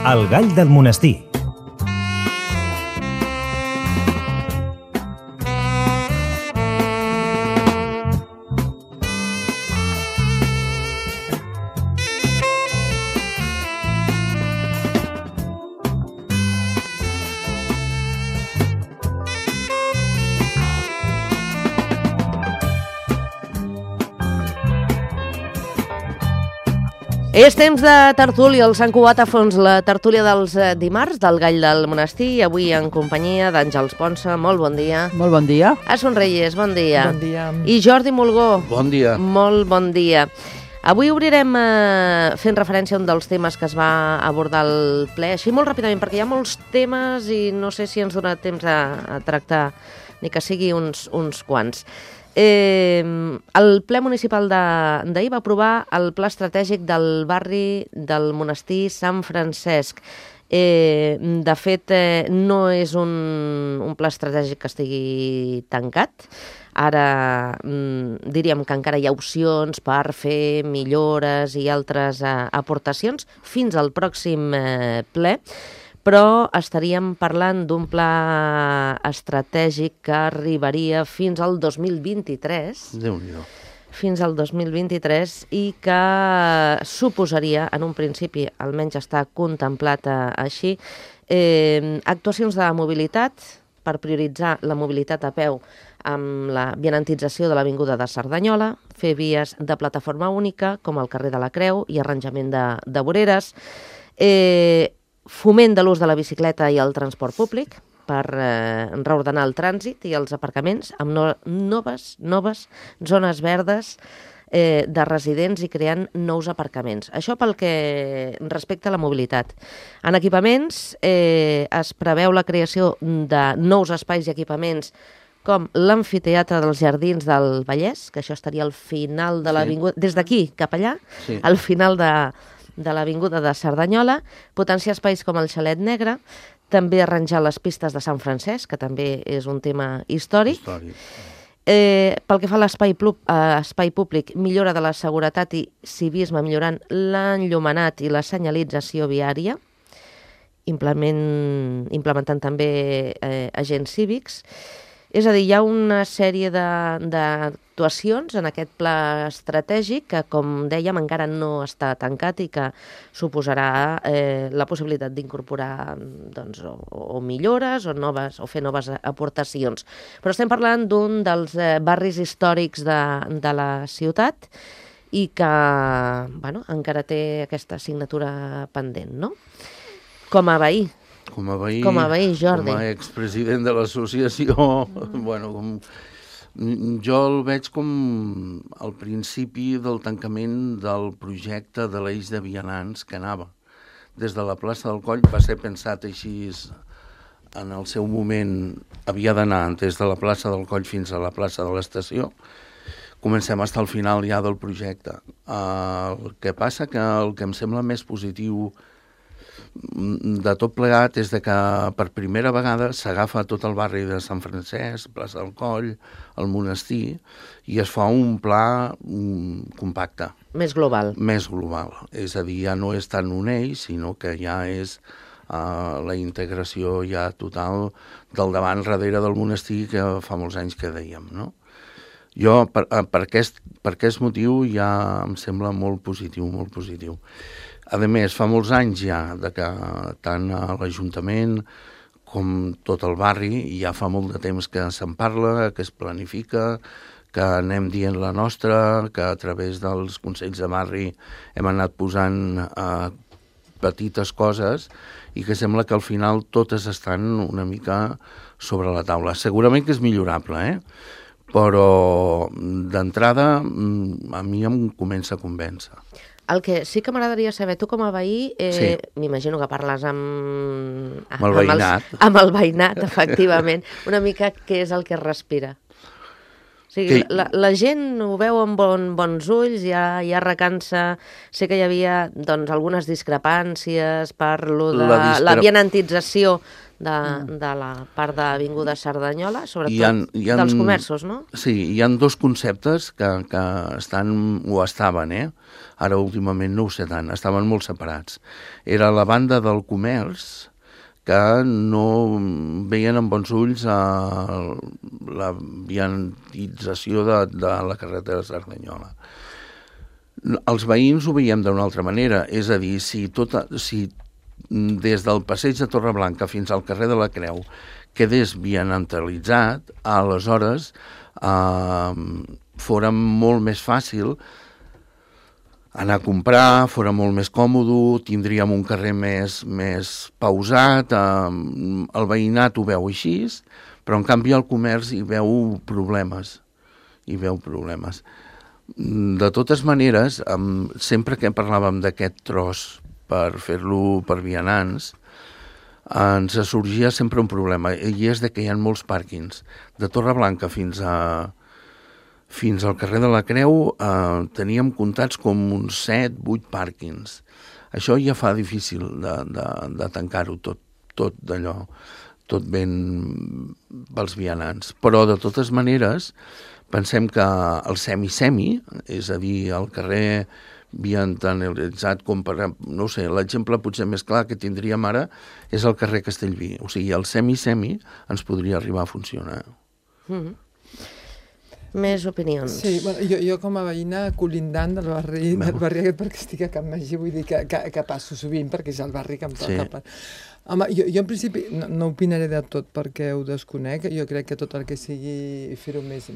El gall del monestir. És temps de tertúlia, el Sant Cugat a fons, la tertúlia dels dimarts del Gall del Monestir, avui en companyia d'Àngels Ponsa. Molt bon dia. Molt bon dia. A Sonreyes, bon dia. Bon dia. I Jordi Mulgó. Bon dia. Molt bon dia. Avui obrirem fent referència a un dels temes que es va abordar al ple, així molt ràpidament, perquè hi ha molts temes i no sé si ens donarà temps a tractar, ni que sigui uns quants. El ple municipal d'ahir va aprovar el pla estratègic del barri del monestir Sant Francesc. De fet, no és un pla estratègic que estigui tancat. Ara diríem que encara hi ha opcions per fer millores i altres aportacions fins al pròxim ple, però estaríem parlant d'un pla estratègic que arribaria fins al 2023. Déu-n'hi-do. Fins al 2023 i que suposaria, en un principi, almenys està contemplat així, actuacions de mobilitat per prioritzar la mobilitat a peu amb la vianantització de l'Avinguda de Cerdanyola, fer vies de plataforma única, com el carrer de la Creu i arranjament de voreres, foment de l'ús de la bicicleta i el transport públic per reordenar el trànsit i els aparcaments amb noves zones verdes de residents i creant nous aparcaments. Això pel que respecta a la mobilitat. En equipaments es preveu la creació de nous espais i equipaments com l'amfiteatre dels Jardins del Vallès, que això estaria al final de l'avinguda, des d'aquí cap allà, al final de l'avinguda de Cerdanyola, potenciar espais com el Xalet Negre, també arranjar les pistes de Sant Francesc, que també és un tema històric. Pel que fa a l'espai públic, millora de la seguretat i civisme, millorant l'enllumenat i la senyalització viària, implementant també agents cívics. És a dir, hi ha una sèrie d'actuacions en aquest pla estratègic que, com dèiem, encara no està tancat i que suposarà la possibilitat d'incorporar o millores o fer noves aportacions. Però estem parlant d'un dels barris històrics de la ciutat i que encara té aquesta assignatura pendent, no? Com a veí. Com a veí, Jordi. com a expresident de l'associació, jo el veig com el principi del tancament del projecte de l'eix de vianants que anava. Des de la plaça del Coll va ser pensat així, en el seu moment havia d'anar des de la plaça del Coll fins a la plaça de l'estació. Comencem a estar al final ja del projecte. El que passa que el que em sembla més positiu de tot plegat és que per primera vegada s'agafa tot el barri de Sant Francesc, plaça del Coll, el monestir, i es fa un pla compacte. Més global. Més global. És a dir, ja no és tant un eix, sinó que ja és la integració ja total del davant darrere del monestir que fa molts anys que dèiem, no? Jo, per aquest motiu, ja em sembla molt positiu, molt positiu. A més, fa molts anys ja que tant a l'Ajuntament com tot el barri ja fa molt de temps que se'n parla, que es planifica, que anem dient la nostra, que a través dels consells de barri hem anat posant petites coses i que sembla que al final totes estan una mica sobre la taula. Segurament que és millorable, però d'entrada a mi em comença a convèncer. El que sí que m'agradaria saber, tu com a veí, m'imagino que parles amb el veïnat. Amb el veïnat, efectivament. Una mica què és el que es respira. O sigui, la gent ho veu amb bons ulls, ja recansa. Sé que hi havia doncs, algunes discrepàncies per lo de la vianantització de la part d'Avinguda Cerdanyola, sobretot dels comerços, no? Sí, hi ha dos conceptes que estaven, ara últimament no ho sé tant, estaven molt separats. Era la banda del comerç, que no veien amb bons ulls la vianantització de la carretera de Cerdanyola. Els veïns ho veiem d'una altra manera, és a dir, si des del passeig de Torreblanca fins al carrer de la Creu quedés vianantalitzat, aleshores fora molt més fàcil anar a comprar, fora molt més còmode, tindríem un carrer més pausat, el veïnat ho veu així, però en canvi el comerç hi veu problemes. De totes maneres, sempre que parlàvem d'aquest tros per fer-lo per vianants, ens sorgia sempre un problema, i és que hi ha molts pàrquings. De Torreblanca fins al carrer de la Creu teníem comptats com uns 7-8 pàrquings. Això ja fa difícil de tancar-ho tot d'allò, tot ben pels vianants. Però, de totes maneres, pensem que el semi-semi, és a dir, el carrer vianantalitzat, com per, no sé, l'exemple potser més clar que tindríem ara és el carrer Castellví. O sigui, el semi-semi ens podria arribar a funcionar. Més opinions. Sí, bueno, jo com a veïna colindant del barri aquest, perquè estic a Can Magí, vull dir que passo sovint, perquè és el barri que em toca. Home, jo en principi no opinaré de tot perquè ho desconec. Jo crec que tot el que sigui fer-ho més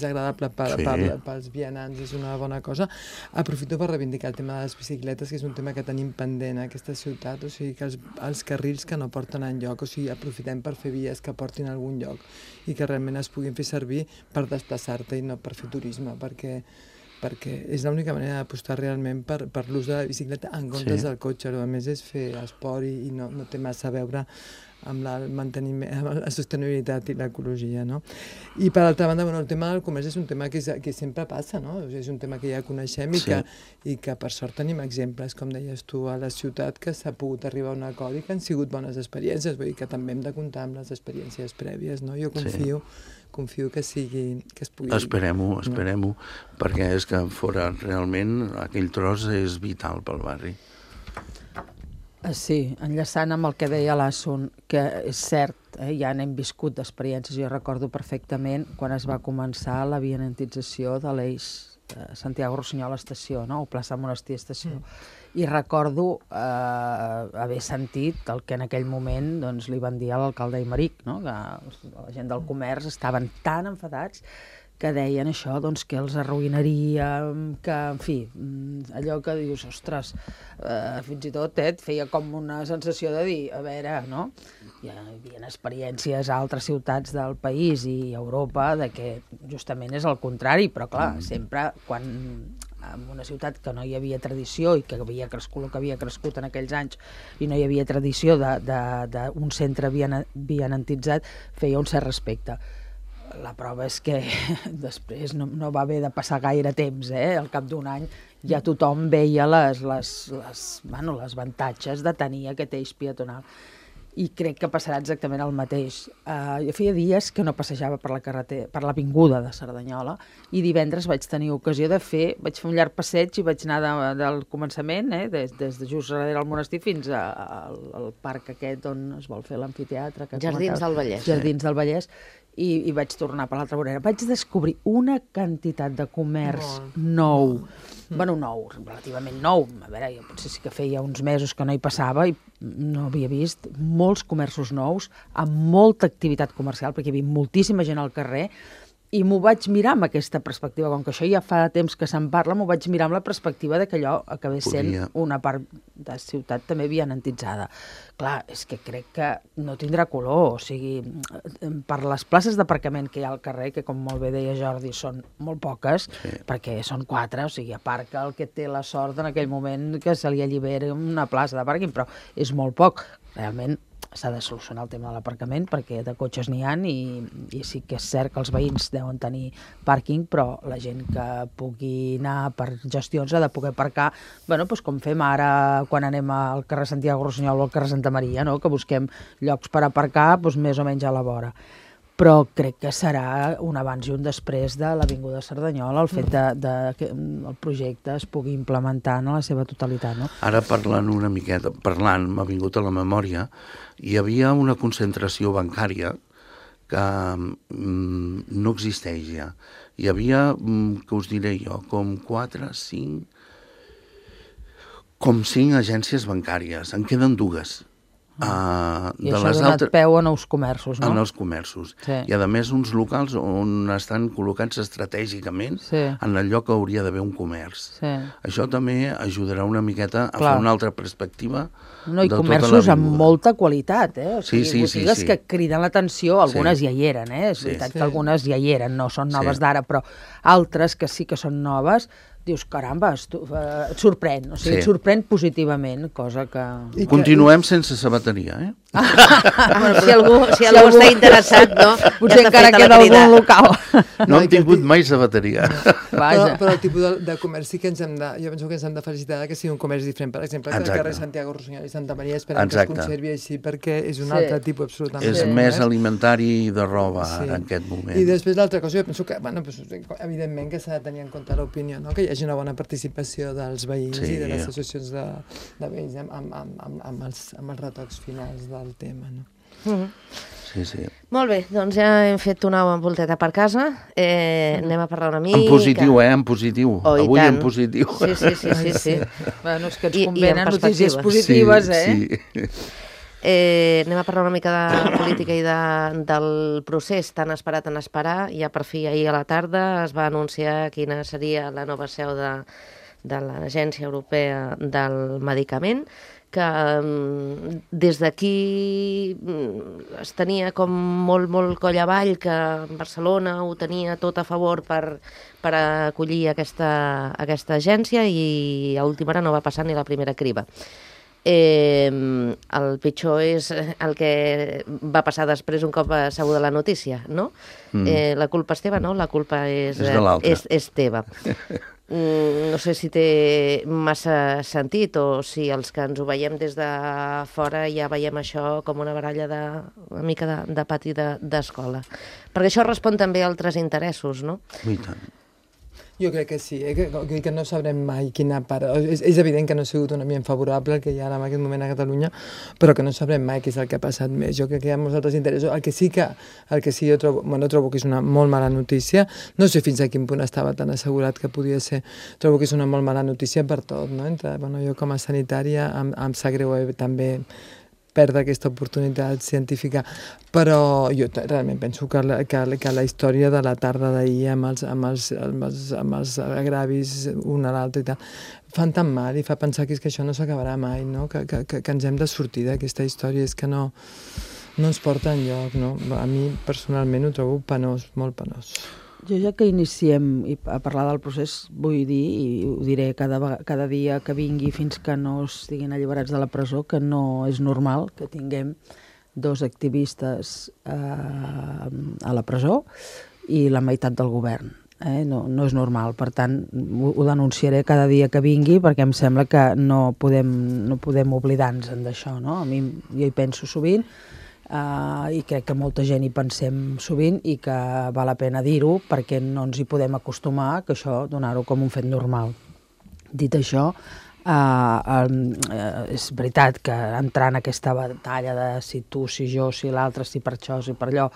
agradable pels vianants és una bona cosa. Aprofito per reivindicar el tema de les bicicletes, que és un tema que tenim pendent a aquesta ciutat, o sigui, que els carrils que no porten enlloc, o sigui, aprofitem per fer vies que portin a algun lloc i que realment es puguin fer servir per desplaçar-te i no per fer turisme, perquè és l'única manera d'apostar realment per l'ús de la bicicleta en comptes del cotxe. A més és fer esport i no té massa a veure amb amb la sostenibilitat i l'ecologia, no? I per altra banda, el tema del comerç és un tema que sempre passa, no? És un tema que ja coneixem i que per sort tenim exemples, com deies tu, a la ciutat, que s'ha pogut arribar a un acord i que han sigut bones experiències, vull dir que també hem de comptar amb les experiències prèvies, no? Jo confio que es pugui... Esperem-ho, perquè és que fora realment aquell tros és vital pel barri. Sí, enllaçant amb el que deia l'Assun, que és cert, ja n'hem viscut d'experiències. Jo recordo perfectament quan es va començar la vianantització de l'eix Santiago-Rossinyola estació, no? O plaça Monestir estació. I recordo haver sentit el que en aquell moment doncs, li van dir a l'alcalde Aymeric, no? Que la gent del comerç estaven tan enfadats que deien això, doncs, que els arruïnaria, que, en fi, allò que dius, ostres, fins i tot et feia com una sensació de dir, a veure, no? Hi havia experiències a altres ciutats del país i a Europa de que justament és el contrari, però clar, sempre quan en una ciutat que no hi havia tradició i que havia crescut el que havia crescut en aquells anys i no hi havia tradició d'un centre vianantitzat, feia un cert respecte. La prova és que després no va haver de passar gaire temps, al cap d'un any ja tothom veia les avantatges de tenir aquest eix peatonal. I crec que passarà exactament el mateix. Jo feia dies que no passejava per l'avinguda de Cerdanyola i divendres vaig tenir ocasió vaig fer un llarg passeig i vaig anar del començament, des de just darrere del monestir fins al parc aquest on es vol fer l'amfiteatre. Jardins del Vallès. Jardins del Vallès. I vaig tornar per l'altra vorera. Vaig descobrir una quantitat de comerç nou, nou, relativament nou. A veure, jo potser sí que feia uns mesos que no hi passava i no havia vist molts comerços nous, amb molta activitat comercial, perquè hi havia moltíssima gent al carrer, i m'ho vaig mirar amb aquesta perspectiva, com que això ja fa temps que se'n parla, m'ho vaig mirar amb la perspectiva de que allò acabés sent una part de ciutat també vianantitzada. Clar, és que crec que no tindrà color, o sigui, per les places d'aparcament que hi ha al carrer, que com molt bé deia Jordi, són molt poques, perquè són 4, o sigui, aparca el que té la sort en aquell moment que se li allibera una plaça de pàrquing, però és molt poc. Realment s'ha de solucionar el tema de l'aparcament, perquè de cotxes n'hi ha i sí que és cert que els veïns deuen tenir pàrquing, però la gent que pugui anar per gestions ha de poder aparcar, bueno, doncs com fem ara quan anem al carrer Santiago Rossinyol o al carrer Santa Maria, no? Que busquem llocs per aparcar doncs més o menys a la vora. Però crec que serà un abans i un després de l'Avinguda Cerdanyola, el fet que el projecte es pugui implementar en la seva totalitat. No? Ara m'ha vingut a la memòria, hi havia una concentració bancària que no existeix ja. Hi havia, que us diré jo, com 5 agències bancàries, en queden 2. I això ha donat peu a nous comerços, no? A nous comerços. Sí. I, a més, uns locals on estan col·locats estratègicament en el lloc que hauria d'haver un comerç. Sí. Això també ajudarà una miqueta a fer una altra perspectiva de tota l'avinguda. I comerços amb molta qualitat, O sigui, botigues que criden l'atenció, algunes ja hi eren, És veritat que algunes ja hi eren, no són noves d'ara, però altres que sí que són noves, dius, caramba, et sorprèn, o sigui, et sorprèn positivament, cosa que... Continuem sense sabateria, Si algú està interessat, no? Potser encara queda algun local. No hem tingut mai sabateria. Però el tipus de comerç sí que jo penso que ens hem de felicitar que sigui un comerç diferent. Per exemple, que el carrer Santiago Rossinyol i Santa Maria esperem que es conservi així, perquè és un altre tipus absolutament. És més alimentari i de roba en aquest moment. I després l'altra cosa, jo penso que, evidentment que s'ha de tenir en compte l'opinió, que hi hagi una bona participació dels veïns i de les associacions de veïns amb els retocs finals del tema, no? Sí. Molt bé, doncs ja hem fet una volteta per casa, anem a parlar una mica... En positiu, en positiu. Avui en positiu. Sí. Bueno, és que ens convenen notícies positives, Sí. Anem a parlar una mica de política i del procés tan esperat en esperar. Ja per fi ahir a la tarda es va anunciar quina seria la nova seu de l'Agència Europea del Medicament, que des d'aquí es tenia com molt coll avall, que Barcelona ho tenia tot a favor per acollir aquesta agència, i a última hora no va passar ni la primera criba. El pitjor és el que va passar després un cop sabuda la notícia, no? La culpa és teva, no? La culpa és teva. No sé si té massa sentit o si els que ens ho veiem des de fora ja veiem això com una baralla una mica de pati d'escola. Perquè això respon també a altres interessos, no? I tant. Jo crec que sí, que no sabrem mai quina part... És evident que no ha sigut un ambient favorable el que hi ha en aquest moment a Catalunya, però que no sabrem mai què és el que ha passat més. Jo crec que hi ha molts altres interessos. El que sí jo trobo que és una molt mala notícia, no sé fins a quin punt estava tan assegurat que podia ser, trobo que és una molt mala notícia per tot, no? Jo com a sanitària em sap greu també perdre aquesta oportunitat científica, però jo realment penso que la història de la tarda d'ahir amb els agravis un a l'altre i tal, fan tan mal i fa pensar que això no s'acabarà mai, no? Que ens hem de sortir d'aquesta història, és que no ens porta enlloc, no? A mi personalment ho trobo penós, molt penós. Jo ja que iniciem a parlar del procés vull dir, i ho diré cada dia que vingui fins que no estiguin alliberats de la presó, que no és normal que tinguem 2 activistes a la presó i la meitat del govern. No és normal, per tant ho denunciaré cada dia que vingui perquè em sembla que no podem oblidar-nos d'això, no? A mi jo hi penso sovint i crec que molta gent hi pensem sovint i que val la pena dir-ho perquè no ens hi podem acostumar que això donar-ho com un fet normal. Dit això, és veritat que entrar en aquesta batalla de si tu, si jo, si l'altre, si per això, si per allò,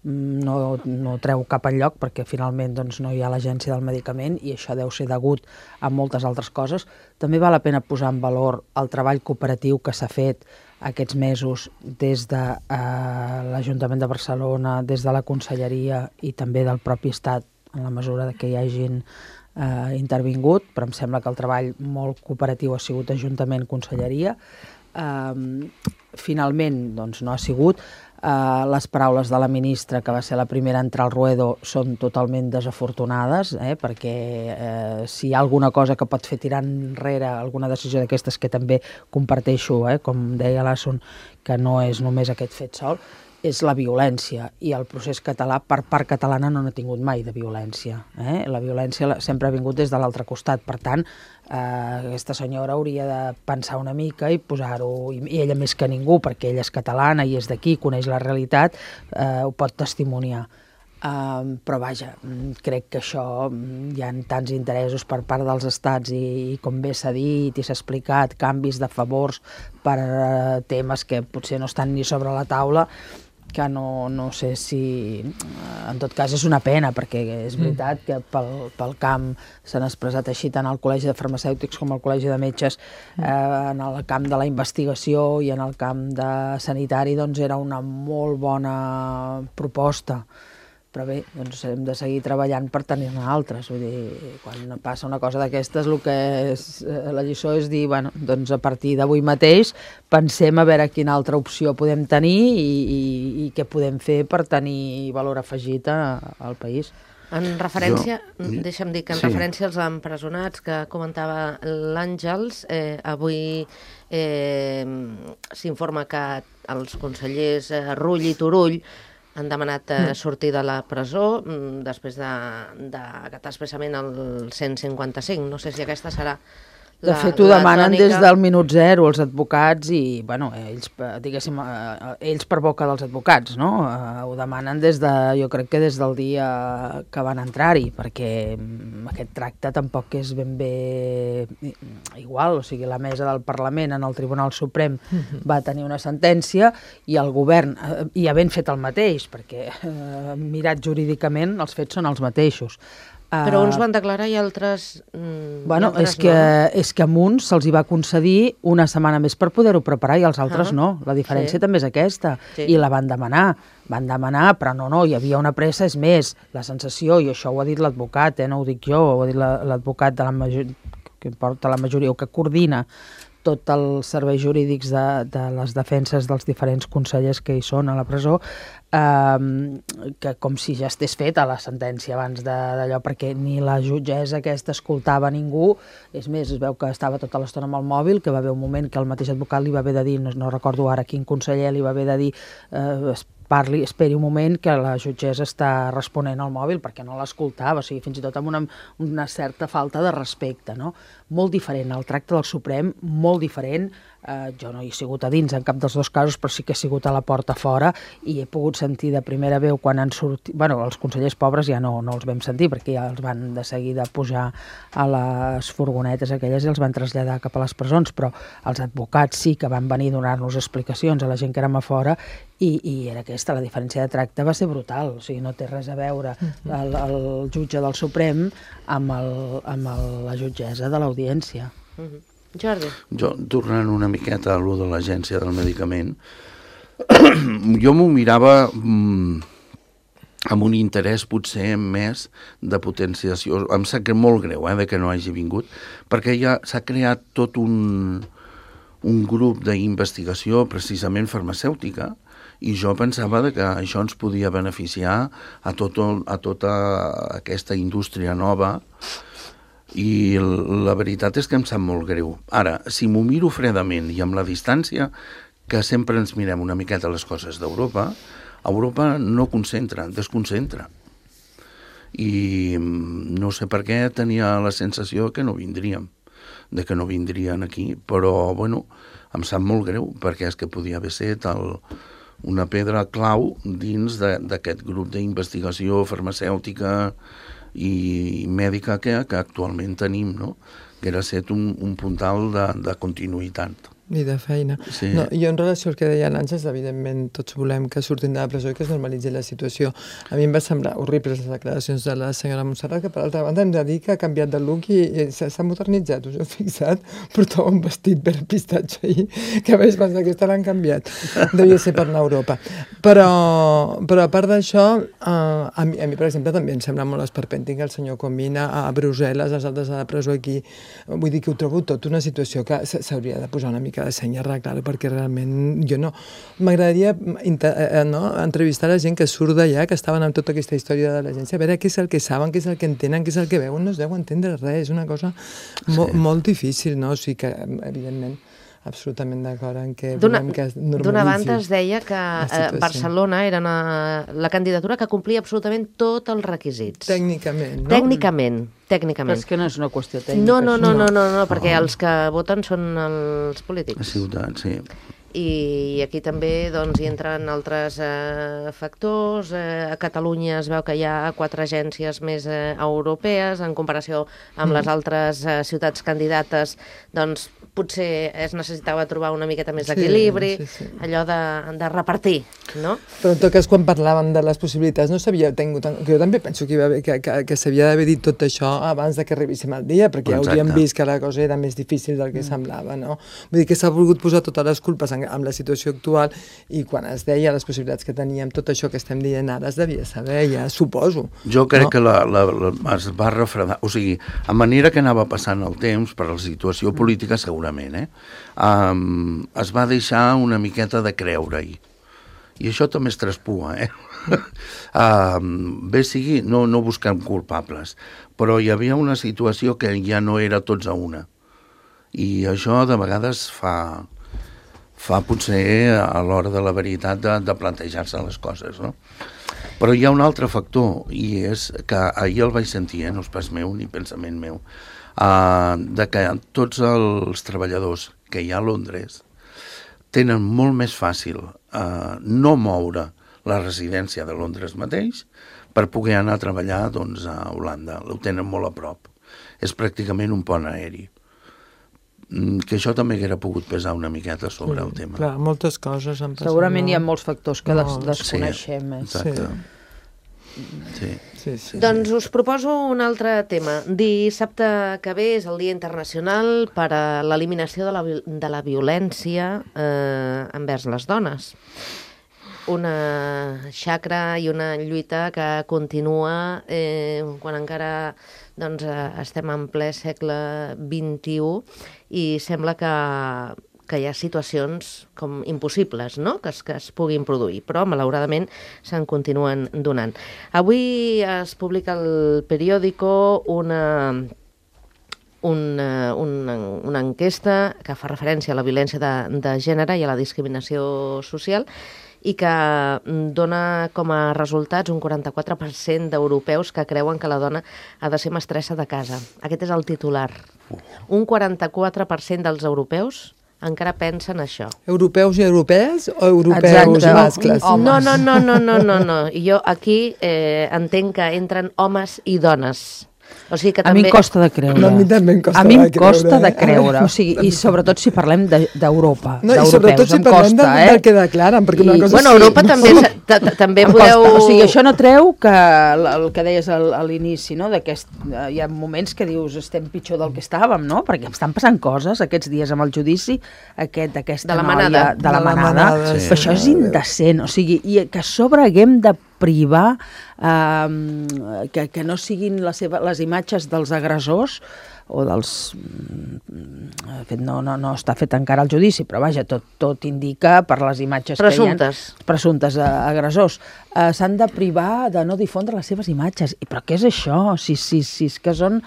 no treu cap enlloc perquè finalment no hi ha l'agència del medicament i això deu ser degut a moltes altres coses. També val la pena posar en valor el treball cooperatiu que s'ha fet aquests mesos des de l'Ajuntament de Barcelona, des de la Conselleria i també del propi Estat, en la mesura que hi hagin intervingut, però em sembla que el treball molt cooperatiu ha sigut Ajuntament, Conselleria. Finalment, no ha sigut. Les paraules de la ministra, que va ser la primera a entrar al Ruedo, són totalment desafortunades, perquè si hi ha alguna cosa que pot fer tirar enrere alguna decisió d'aquestes, que també comparteixo, com deia l'Assun, que no és només aquest fet sol, és la violència, i el procés català per part catalana no n'ha tingut mai de violència. La violència sempre ha vingut des de l'altre costat, per tant, aquesta senyora hauria de pensar una mica i posar-ho, i ella més que ningú, perquè ella és catalana i és d'aquí, coneix la realitat, ho pot testimoniar. Però vaja, crec que això hi ha tants interessos per part dels estats i com bé s'ha dit i s'ha explicat, canvis de favors per temes que potser no estan ni sobre la taula, que no sé si... En tot cas és una pena, perquè és veritat que pel camp s'han expressat així tant al Col·legi de Farmacèutics com al Col·legi de Metges, en el camp de la investigació i en el camp de sanitari, doncs era una molt bona proposta. Però bé, doncs hem de seguir treballant per tenir-ne altres. Vull dir, quan passa una cosa d'aquestes, el que és la lliçó és dir, bueno, doncs a partir d'avui mateix pensem a veure quina altra opció podem tenir i què podem fer per tenir valor afegit al país. En referència, deixa'm dir que en referència als empresonats que comentava l'Àngels, avui s'informa que els consellers Rull i Turull han demanat sortir de la presó després d'acatar expressament el 155. No sé si aquesta serà De fet, ho demanen des del minut zero els advocats i, bueno, ells, diguéssim, ells per boca dels advocats, no? Ho demanen jo crec que des del dia que van entrar-hi, perquè aquest tracte tampoc és ben bé igual. O sigui, la mesa del Parlament en el Tribunal Suprem va tenir una sentència i el govern hi ha ben fet el mateix, perquè mirat jurídicament els fets són els mateixos. Però uns van declarar i altres... Bueno, és que a uns se'ls hi va concedir una setmana més per poder-ho preparar i als altres no. La diferència també és aquesta. I la van demanar. Van demanar, però no, hi havia una pressa. És més, la sensació, i això ho ha dit l'advocat, no ho dic jo, ho ha dit l'advocat que porta la majoria o que coordina tots els serveis jurídics de les defenses dels diferents consellers que hi són a la presó, que com si ja estés feta la sentència abans d'allò, perquè ni la jutgessa aquesta escoltava ningú. És més, es veu que estava tota l'estona amb el mòbil, que va haver un moment que el mateix advocat li va haver de dir, no recordo ara quin conseller li va haver de dir, esperi un moment que la jutgessa està responent al mòbil, perquè no l'escoltava, o sigui, fins i tot amb una certa falta de respecte, no? Molt diferent, el tracte del Suprem, molt diferent. Jo no hi he sigut a dins en cap dels dos casos, però sí que he sigut a la porta fora i he pogut sentir de primera veu quan han sortit... Bueno, els consellers pobres ja no els vam sentir, perquè ja els van de seguida pujar a les furgonetes aquelles i els van traslladar cap a les presons, però els advocats sí que van venir a donar-nos explicacions a la gent que érem a fora i era aquesta, la diferència de tracte va ser brutal. O sigui, no té res a veure el jutge del Suprem amb la jutgessa de l'Audiència. Jordi. Jo, tornant una miqueta a allò de l'Agència del Medicament, jo m'ho mirava amb un interès potser més de potenciació. Em sap molt greu de que no hagi vingut, perquè ja s'ha creat tot un grup d'investigació precisament farmacèutica, i jo pensava que això ens podia beneficiar a tota aquesta indústria nova, i la veritat és que em sap molt greu. Ara, si m'ho miro fredament i amb la distància, que sempre ens mirem una miqueta les coses d'Europa, Europa no concentra, desconcentra. I no sé per què tenia la sensació que no vindríem, de que no vindrien aquí, però, bueno, em sap molt greu, perquè és que podia haver estat una pedra clau dins d'aquest grup d'investigació farmacèutica i mèdica que actualment tenim, no? Que era set un puntal de continuïtat. I de feina. Sí. No, jo en relació al que deia l'Àngels, evidentment tots volem que surtin de la presó i que es normalitzi la situació. A mi em va semblar horribles les declaracions de la senyora Montserrat, que per altra banda hem de dir que ha canviat de look i s'ha modernitzat. Us heu fixat? Portava un vestit verd pistatge ahir, que a més aquesta l'han canviat. Devia ser per anar a Europa. Però a part d'això, a mi, per exemple, també em sembla molt esperpèntic que el senyor Comín a Brussel·les, els altres a la presó aquí. Vull dir que ho trobo tot una situació que s'hauria de posar una mica que ha de ser i arreglar-ho, perquè realment jo no... M'agradaria entrevistar la gent que surt d'allà, que estaven amb tota aquesta història de l'agència, a veure què és el que saben, què és el que entenen, què és el que veuen, no es deu entendre res, és una cosa molt difícil, no? O sigui que, evidentment, absolutament d'acord en què volem que es normalitzi. D'una banda es deia que Barcelona era la candidatura que complia absolutament tots els requisits. Tècnicament, no? Tècnicament. Però és que no és una qüestió tècnica. No, perquè els que voten són els polítics. Els ciutadans, sí. I aquí també hi entren altres factors. A Catalunya es veu que hi ha 4 agències més europees en comparació amb les altres ciutats candidates, doncs potser es necessitava trobar una miqueta més d'equilibri, allò de repartir, no? Però en tot cas, quan parlàvem de les possibilitats, no s'havia tingut... Jo també penso que s'havia d'haver dit tot això abans de que arribéssim al dia, perquè ja hauríem vist que la cosa era més difícil del que semblava, no? Vull dir que s'ha volgut posar totes les culpes amb la situació actual i quan es deia les possibilitats que teníem, tot això que estem dient ara es devia saber, ja suposo. Jo crec que es va refredar, o sigui, a manera que anava passant el temps, per la situació política segurament, es va deixar una miqueta de creure-hi. I això també es traspua, bé sigui, no buscant culpables, però hi havia una situació que ja no era tots a una. I això de vegades fa potser a l'hora de la veritat de plantejar-se les coses, no? Però hi ha un altre factor, i és que ahir el vaig sentir, no és pas meu ni pensament meu, de que tots els treballadors que hi ha a Londres tenen molt més fàcil no moure la residència de Londres mateix per poder anar a treballar a Holanda. Ho tenen molt a prop. És pràcticament un pont aeri. Que això també haguera pogut pesar una miqueta sobre el tema. Clar, moltes coses han passat. Segurament hi ha molts factors que desconeixem. Exacte. Sí. Doncs us proposo un altre tema. Dissabte que ve és el Dia Internacional per a l'eliminació de la violència envers les dones. Una xacra i una lluita que continua quan encara estem en ple segle XXI i sembla que hi ha situacions com impossibles, no?, que es puguin produir, però malauradament se'n continuen donant. Avui es publica al periòdico una enquesta que fa referència a la violència de gènere i a la discriminació social i que dona com a resultats un 44% d'europeus que creuen que la dona ha de ser mestressa de casa. Aquest és el titular. Un 44% dels europeus encara pensen això. Europeus i europees o europeus i mascles? No. Jo aquí entenc que entren homes i dones. O sigui que també... A mi em costa de creure. No, a mi també em costa de creure. O sigui, i sobretot si parlem d'Europa, no, i sobretot si parlem del que declaren, perquè una cosa... Bueno, Europa també podeu... O sigui, això no treu que el que deies a l'inici, no? Hi ha moments que dius estem pitjor del que estàvem, no? Perquè estan passant coses aquests dies amb el judici d'aquesta noia, de la manada. Sí. Això és indecent. O sigui, i que a sobre haguem de privar que no siguin les imatges dels agressors o dels... De fet, no està fet encara el judici, però vaja, tot indica per les imatges que hi ha... Presumptes agressors. S'han de privar de no difondre les seves imatges. Però què és això? Si és que són...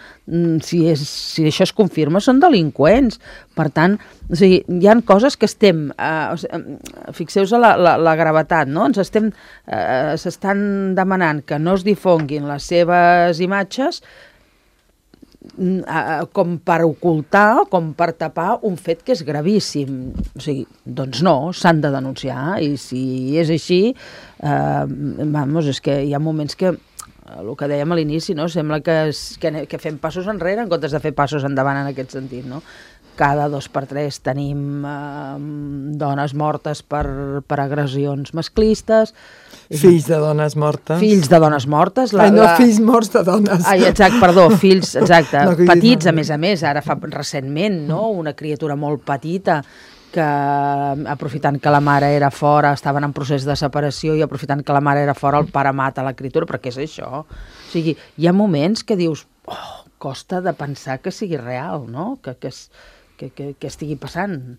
Si això es confirma, són delinqüents. Per tant, o sigui, hi ha coses que estem... Fixeu-vos la gravetat, no? S'estan demanant que no es difonguin les seves imatges com per ocultar, com per tapar un fet que és gravíssim. O sigui, doncs no, s'han de denunciar, i si és així, és que hi ha moments que, el que dèiem a l'inici, no? Sembla que fem passos enrere en comptes de fer passos endavant en aquest sentit, no? Cada 2 per 3 tenim dones mortes per agressions masclistes. Fills de dones mortes. Fills de dones mortes. Fills morts de dones. Exacte, perdó, fills, exacte, petits, a més, ara fa recentment, no? Una criatura molt petita que, aprofitant que la mare era fora, estaven en procés de separació i aprofitant que la mare era fora, el pare mata la criatura, però què és això? O sigui, hi ha moments que dius, costa de pensar que sigui real, no? Que què estigui passant.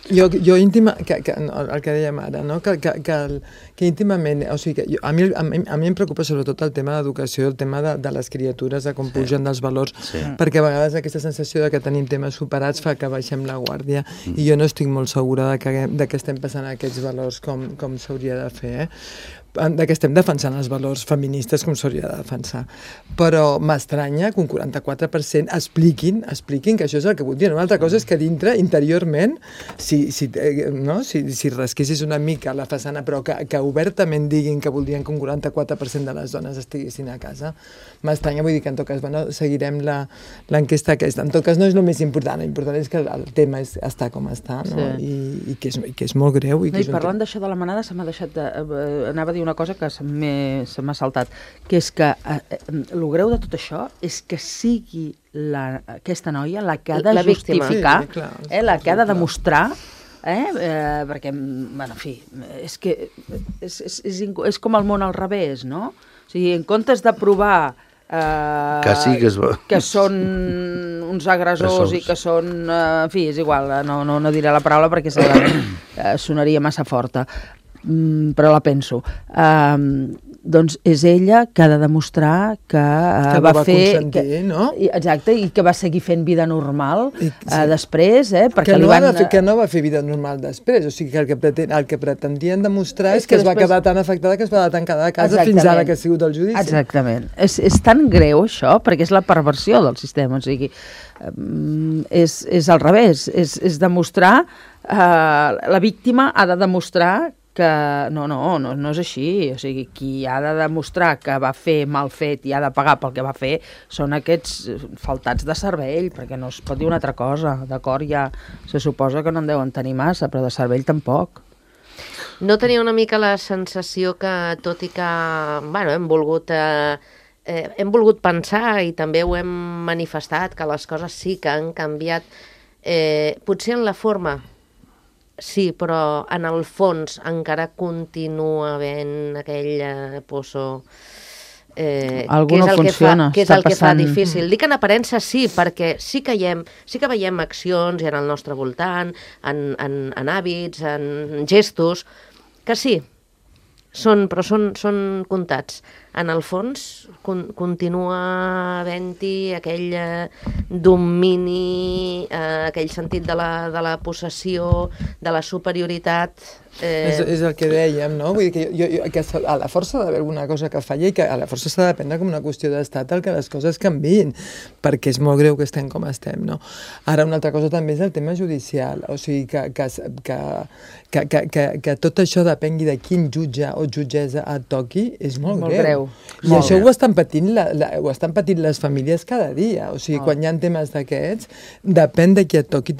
Jo íntima, el que dèiem ara, no? que íntimament, o sigui, a mi em preocupa sobretot el tema d'educació, el tema de les criatures, de com pugen dels valors, perquè a vegades aquesta sensació de que tenim temes superats fa que baixem la guàrdia, i jo no estic molt segura de que estem passant aquests valors com s'hauria de fer, de que estem defensant els valors feministes com s'hauria de defensar. Però m'estranya que un 44% expliquin que això és el que voldrien. Una altra cosa és que dintre, interiorment, si rasquessis una mica la façana, però que obertament diguin que voldrien que un 44% de les dones estiguessin a casa, m'estranya. Vull dir que en tot cas, seguirem l'enquesta aquesta. En tot cas no és el més important, l'important és que el tema està com està, no? I que és molt greu. I parlant d'això de la manada, se m'ha deixat anava a dir una cosa que se m'ha saltat, que és que el greu de tot això és que sigui aquesta noia la que ha de justificar, la que ha de demostrar, perquè, en fi, és que és com el món al revés, no? O sigui, en comptes de provar que són uns agressors i que són... En fi, és igual, no diré la paraula perquè segurament sonaria massa forta, però la penso. Doncs és ella que ha de demostrar que va fer... consentir, no? Exacte, i que va seguir fent vida normal després, perquè que no va fer vida normal després, o sigui que el que pretendien demostrar és que es va quedar tan afectada que es va tancar de casa fins ara que ha sigut el judici. Exactament. És tan greu això, perquè és la perversió del sistema, o sigui, és al revés, és demostrar, la víctima ha de demostrar que no és així, o sigui, qui ha de demostrar que va fer mal fet i ha de pagar pel que va fer són aquests faltats de cervell, perquè no es pot dir una altra cosa, d'acord? Ja se suposa que no en deuen tenir massa, però de cervell tampoc. No tenia una mica la sensació que, tot i que, hem volgut pensar i també ho hem manifestat, que les coses sí que han canviat, potser en la forma, sí, però en el fons encara continua havent aquell poço que és el que fa difícil. Dic en aparença sí, perquè sí que veiem accions en el nostre voltant, en hàbits, en gestos, que sí, però són comptats. En el fons continua havent-hi aquell domini, aquell sentit de la possessió, de la superioritat. És el que dèiem, no? Vull dir que a la força d'haver alguna cosa que falla i que a la força s'ha de prendre com una qüestió d'estat el que les coses canviïn, perquè és molt greu que estem com estem, no? Ara, una altra cosa també és el tema judicial, o sigui que tot això depengui de quin jutge o jutgessa et toqui és molt greu. I això ho estan patint les famílies cada dia, o sigui, quan hi ha temes d'aquests, depèn de qui et toqui,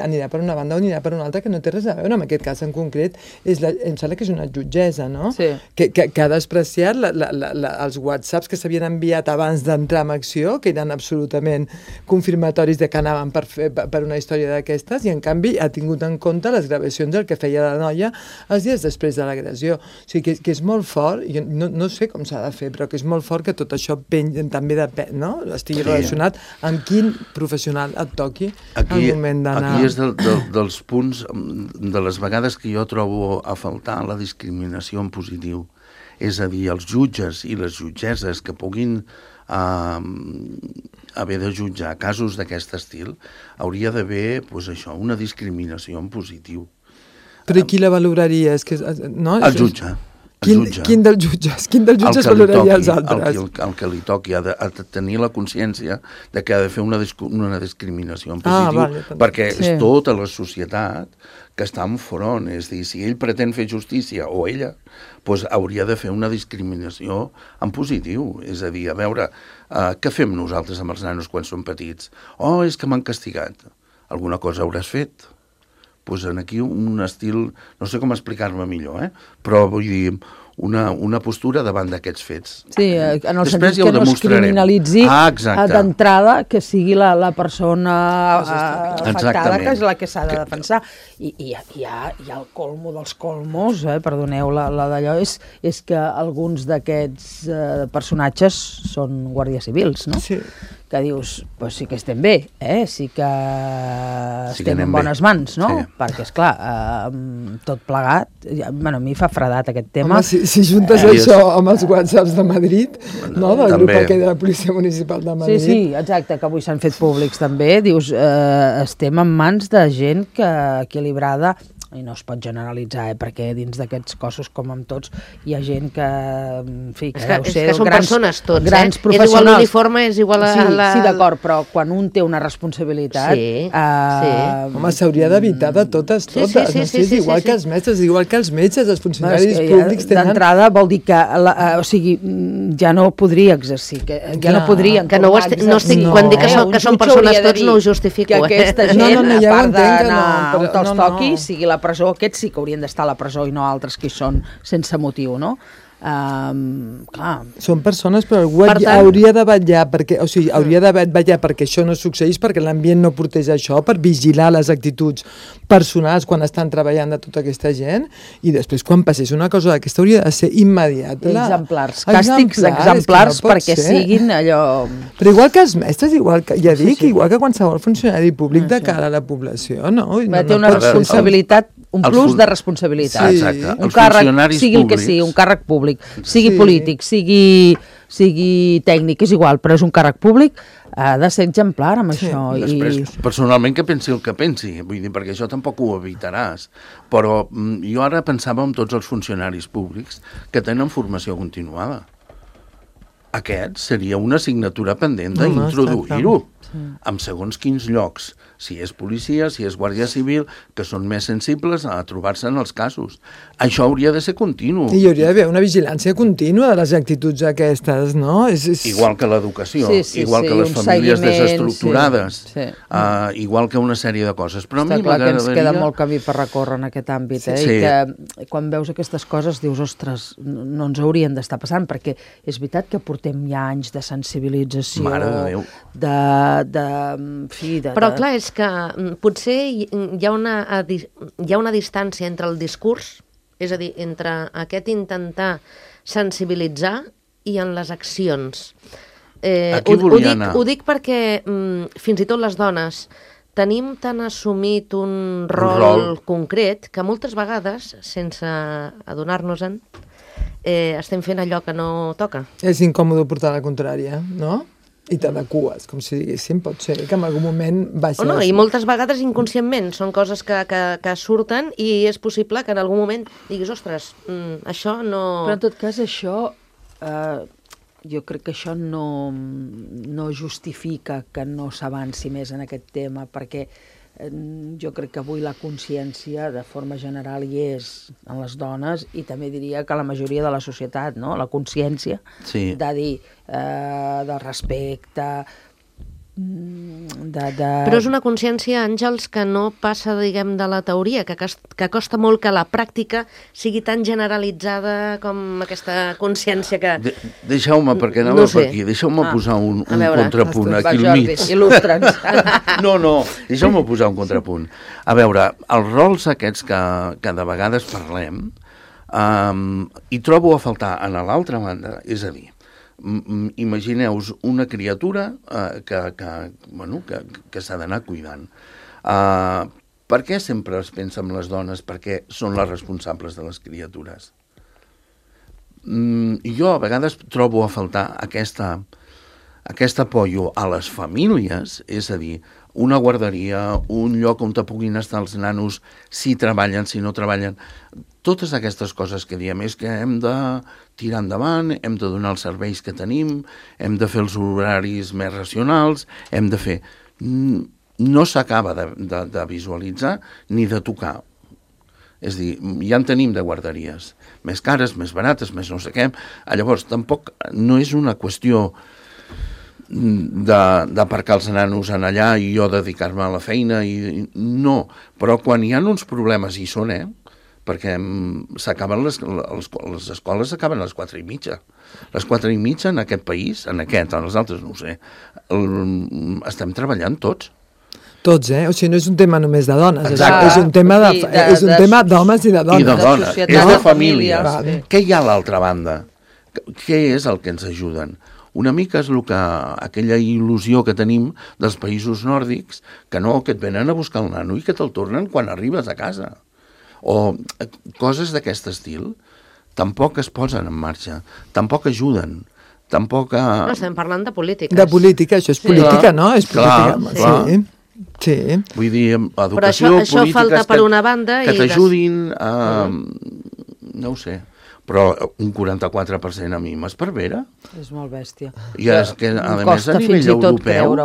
anirà per una banda o anirà per una altra, que no té res a veure. En aquest cas en concret, em sembla que és una jutgessa, no? Sí. Que ha despreciat els whatsapps que s'havien enviat abans d'entrar en acció, que eren absolutament confirmatoris de que anaven per una història d'aquestes, i en canvi ha tingut en compte les gravacions del que feia la noia els dies després de l'agressió. O sigui, que és molt fort, jo no sé com s'ha de fer, però que és molt fort que tot això també depèn, no? Estigui relacionat amb quin professional et toqui al moment d'anar... Aquí és dels punts, de les vegades que jo trobo a faltar la discriminació en positiu. És a dir, els jutges i les jutgesses que puguin haver de jutjar casos d'aquest estil, hauria d'haver, una discriminació en positiu. Però qui la valoraria? El jutge. Quin dels jutges valoraria els altres? El que li toqui ha de tenir la consciència de que ha de fer una discriminació en positiu, perquè és tota la societat que està en front. És a dir, si ell pretén fer justícia, o ella, doncs hauria de fer una discriminació en positiu. És a dir, a veure, què fem nosaltres amb els nanos quan són petits? Oh, és que m'han castigat. Alguna cosa hauràs fet? Doncs aquí un estil, no sé com explicar-me millor, però vull dir, una postura davant d'aquests fets. Sí, en el sentit que no es criminalitzi d'entrada, que sigui la persona afectada que és la que s'ha de defensar. I hi ha el colmo dels colmos, perdoneu la d'allò, és que alguns d'aquests personatges són guàrdies civils, no? Sí. que dius, pues sí que estem bé, sí que estem en bones mans, no? Sí. Perquè, esclar, tot plegat, bueno, a mi fa fredat aquest tema. Home, si juntes això amb els WhatsApps de Madrid, no? Del grup aquell de la Policia Municipal de Madrid. Sí, exacte, que avui s'han fet públics també, dius, estem en mans de gent equilibrada, i no es pot generalitzar, perquè dins d'aquests cossos, com amb tots, hi ha gent que, en fi, que deu ser són persones tots, grans professionals. És igual l'uniforme, és igual la... Sí, d'acord, però quan un té una responsabilitat... Home, s'hauria d'evitar de totes. És igual que els mestres, igual que els metges, els funcionaris públics tenen... D'entrada vol dir que, o sigui, ja no podria exercir, que ja no podrien... Que no estic, quan dic que són persones tots, no ho justifico. Que aquesta gent, a part d'anar on te'ls toqui, sigui la presó, aquests sí que haurien d'estar a la presó i no altres que hi són sense motiu, no? Clar. Són persones, però algú hauria de vetllar perquè això no succeís, perquè l'ambient no portés això, per vigilar les actituds personals quan estan treballant de tota aquesta gent, i després quan passés una cosa d'aquesta hauria de ser immediat. Exemplars, càstigs exemplars perquè siguin allò... Però igual que els mestres, igual que qualsevol funcionari públic de cara a la població, no? Té una responsabilitat, un plus de responsabilitat. Exacte. Un càrrec, sigui el que sigui, un càrrec públic, sigui polític, sigui tècnic, és igual, però és un càrrec públic, ha de ser exemplar amb això. Després, personalment, que pensi el que pensi, vull dir, perquè això tampoc ho evitaràs, però jo ara pensava en tots els funcionaris públics que tenen formació continuada. Aquest seria una assignatura pendent d'introduir-ho en segons quins llocs, si és policia, si és guàrdia civil, que són més sensibles a trobar-se en els casos. Això hauria de ser continu. I hi hauria d'haver una vigilància contínua de les actituds aquestes, no? Igual que l'educació, igual que les famílies desestructurades, igual que una sèrie de coses. Però està clar que ens queda molt camí per recórrer en aquest àmbit, i que quan veus aquestes coses dius, ostres, no ens haurien d'estar passant, perquè és veritat que portem ja anys de sensibilització, mare de Déu. Però clar, és que potser hi ha una distància entre el discurs, és a dir, entre aquest intentar sensibilitzar i en les accions. Ho dic perquè fins i tot les dones tenim tan assumit un rol concret que moltes vegades, sense adonar-nos-en, estem fent allò que no toca. És incòmode portar la contrària, no? I t'adecues, com si diguéssim, pot ser que en algun moment baixes... I moltes vegades inconscientment, són coses que surten i és possible que en algun moment diguis, ostres, això no... Però en tot cas això, jo crec que això no justifica que no s'avanci més en aquest tema, perquè jo crec que avui la consciència de forma general hi és en les dones i també diria que la majoria de la societat, no? La consciència de dir, del respecte, Però és una consciència, Àngels, que no passa, diguem, de la teoria, que costa molt que la pràctica sigui tan generalitzada com aquesta consciència que... Deixeu-me, perquè anava per aquí, deixeu-me posar un contrapunt aquí al mig. Il·lustra'ns. No, deixeu-me posar un contrapunt. A veure, els rols aquests que de vegades parlem, hi trobo a faltar a l'altra banda, és a dir, imagineu-vos una criatura que s'ha d'anar cuidant. Per què sempre es pensa en les dones? Perquè són les responsables de les criatures. Jo a vegades trobo a faltar aquest apoyo a les famílies, és a dir, una guarderia, un lloc on puguin estar els nanos, si treballen, si no treballen, totes aquestes coses que diem és que hem de tirar endavant, hem de donar els serveis que tenim, hem de fer els horaris més racionals, hem de fer... No s'acaba de visualitzar ni de tocar. És a dir, ja en tenim de guarderies, més cares, més barates, més no sé què. Llavors, tampoc no és una qüestió d'aparcar els nanos en allà i jo dedicar-me a la feina, no. Però quan hi ha uns problemes, hi són, perquè s'acaben les escoles s'acaben a les 4:30. Les 4:30 en aquest país, en els altres no ho sé, estem treballant tots. Tots, O sigui, no és un tema només de dones, és un tema d'homes i de dones. I de dones, és de famílies. Què hi ha a l'altra banda? Què és el que ens ajuden? Una mica és aquella il·lusió que tenim dels països nòrdics, que no, que et venen a buscar el nano i que te'l tornen quan arribes a casa. O coses d'aquest estil tampoc es posen en marxa, tampoc ajuden, tampoc... No, estem parlant de polítiques. De política, això és política, no? És política, clar. Sí. Vull dir, educació, però això polítiques falta per una banda que t'ajudin a... No ho sé, però un 44% a mi m'esparvera. És molt bèstia. I és que, a més, a nivell europeu...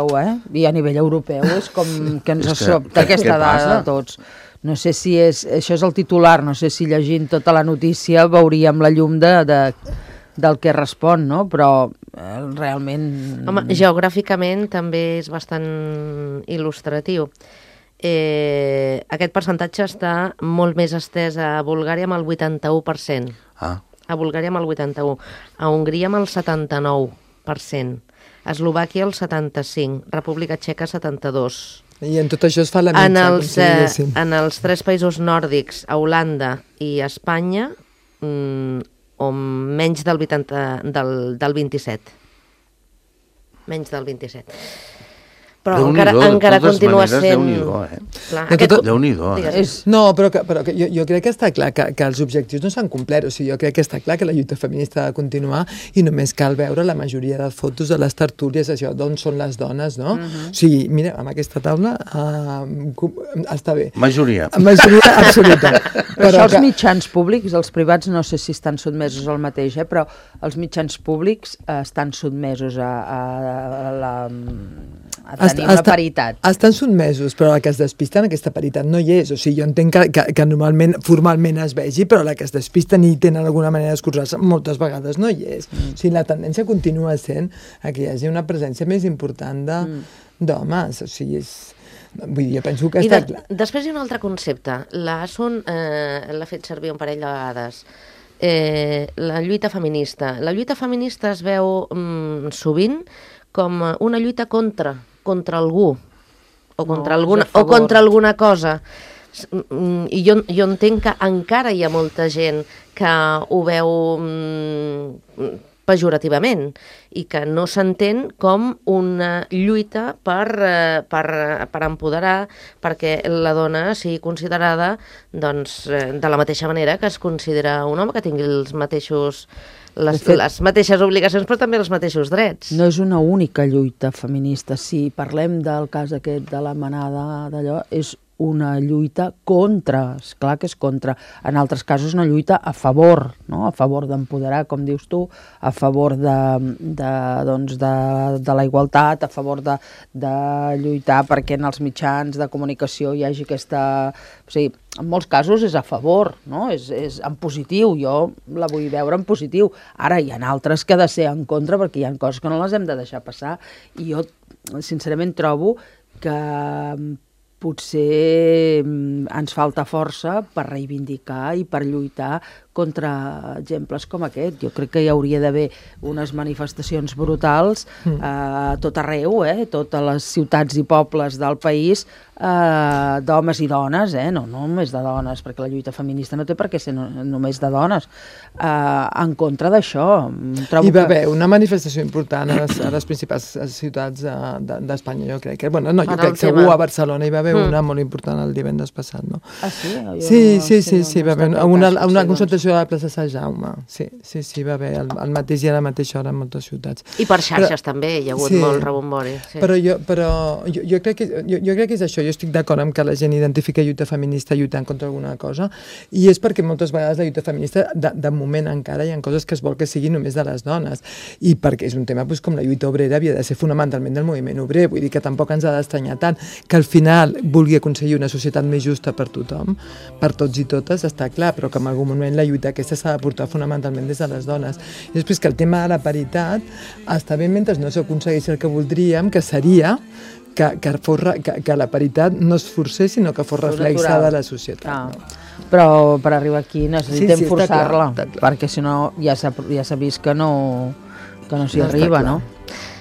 I a nivell europeu és com que ens sobta aquesta dada de tots. No sé si això és el titular, no sé si llegint tota la notícia veuríem la llum del que respon, no? Però realment... Home, geogràficament també és bastant il·lustratiu. Aquest percentatge està molt més estès a Bulgària amb el 81%. A Bulgària amb el 81%. A Hongria amb el 79%. A Eslovàquia el 75%. República Txeca 72%. I en tot això es fa la mitja, en els 3 països nòrdics, a Holanda i a Espanya, o menys del 27. Menys del 27. Però encara continua sent... Déu-n'hi-do, No, però jo crec que està clar que els objectius no s'han complert. O sigui, jo crec que està clar que la lluita feminista ha de continuar i només cal veure la majoria de fotos de les tertúlies, això, d'on són les dones, no? O sigui, mira, amb aquesta taula està bé. Majoria absoluta. Però això els mitjans públics, els privats no sé si estan sotmesos al mateix, però els mitjans públics estan sotmesos a tenir una paritat. Estan sotmesos, però la que es despista en aquesta paritat no hi és. O sigui, jo entenc que normalment, formalment es vegi, però la que es despista ni tenen alguna manera d'escurçar-se, moltes vegades no hi és. O sigui, la tendència continua sent que hi hagi una presència més important d'homes. O sigui, vull dir, jo penso que està clar. Després hi ha un altre concepte. L'Asun l'ha fet servir un parell de vegades. La lluita feminista. La lluita feminista es veu sovint com una lluita contra algú o contra alguna cosa. I jo entenc que encara hi ha molta gent que ho veu pejorativament i que no s'entén com una lluita per empoderar, perquè la dona sigui considerada de la mateixa manera que es considera un home, que tingui les mateixes obligacions però també els mateixos drets. No és una única lluita feminista. Si parlem del cas aquest de la manada d'allò, és una lluita contra, esclar que és contra. En altres casos una lluita a favor, no? A favor d'empoderar, com dius tu, a favor de la igualtat, a favor de lluitar perquè en els mitjans de comunicació hi hagi aquesta... O sigui, en molts casos és a favor, no? És en positiu, jo la vull veure en positiu. Ara hi ha altres que ha de ser en contra perquè hi ha coses que no les hem de deixar passar i jo sincerament trobo que potser ens falta força per reivindicar i per lluitar contra exemples com aquest. Jo crec que hi hauria d'haver unes manifestacions brutals a tot arreu, totes les ciutats i pobles del país, d'homes i dones, no només de dones, perquè la lluita feminista no té per què ser només de dones, en contra d'això. Hi va haver una manifestació important a les principals ciutats d'Espanya, jo crec. Bueno, no, jo crec que segur a Barcelona hi va haver una molt important el divendres passat, no? Ah, sí? Sí, va haver una concentració a la plaça Sant Jaume. Sí, va haver al mateix dia a la mateixa hora en moltes ciutats. I per xarxes també hi ha hagut molt rebombori. Però jo crec que és això. Jo estic d'acord amb que la gent identifica lluita feminista lluitant contra alguna cosa, i és perquè moltes vegades la lluita feminista, de moment encara hi ha coses que es vol que siguin només de les dones, i perquè és un tema com la lluita obrera havia de ser fonamentalment del moviment obrer, vull dir que tampoc ens ha d'estranyar tant que al final vulgui aconseguir una societat més justa per tothom, per tots i totes, està clar, però que en algun moment la lluita aquesta s'ha de portar fonamentalment des de les dones. I després que el tema de la paritat està bé mentre no s'aconsegueixi el que voldríem, que seria que la paritat no es forcés, sinó que fos reflexada a la societat. Però per arribar aquí necessitem forçar-la, perquè si no ja s'ha vist que no s'hi arriba, no?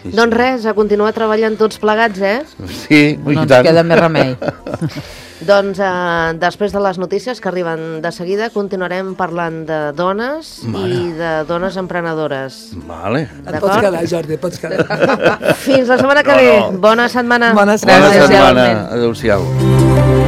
Doncs res, a continuar treballant tots plegats, Sí, no ens queda més remei. Doncs després de les notícies que arriben de seguida continuarem parlant de dones i de dones emprenedores. Vale. Et pots quedar, Jordi, et pots quedar. Fins la setmana que ve. Bona setmana. Bona setmana. Adéu-siau.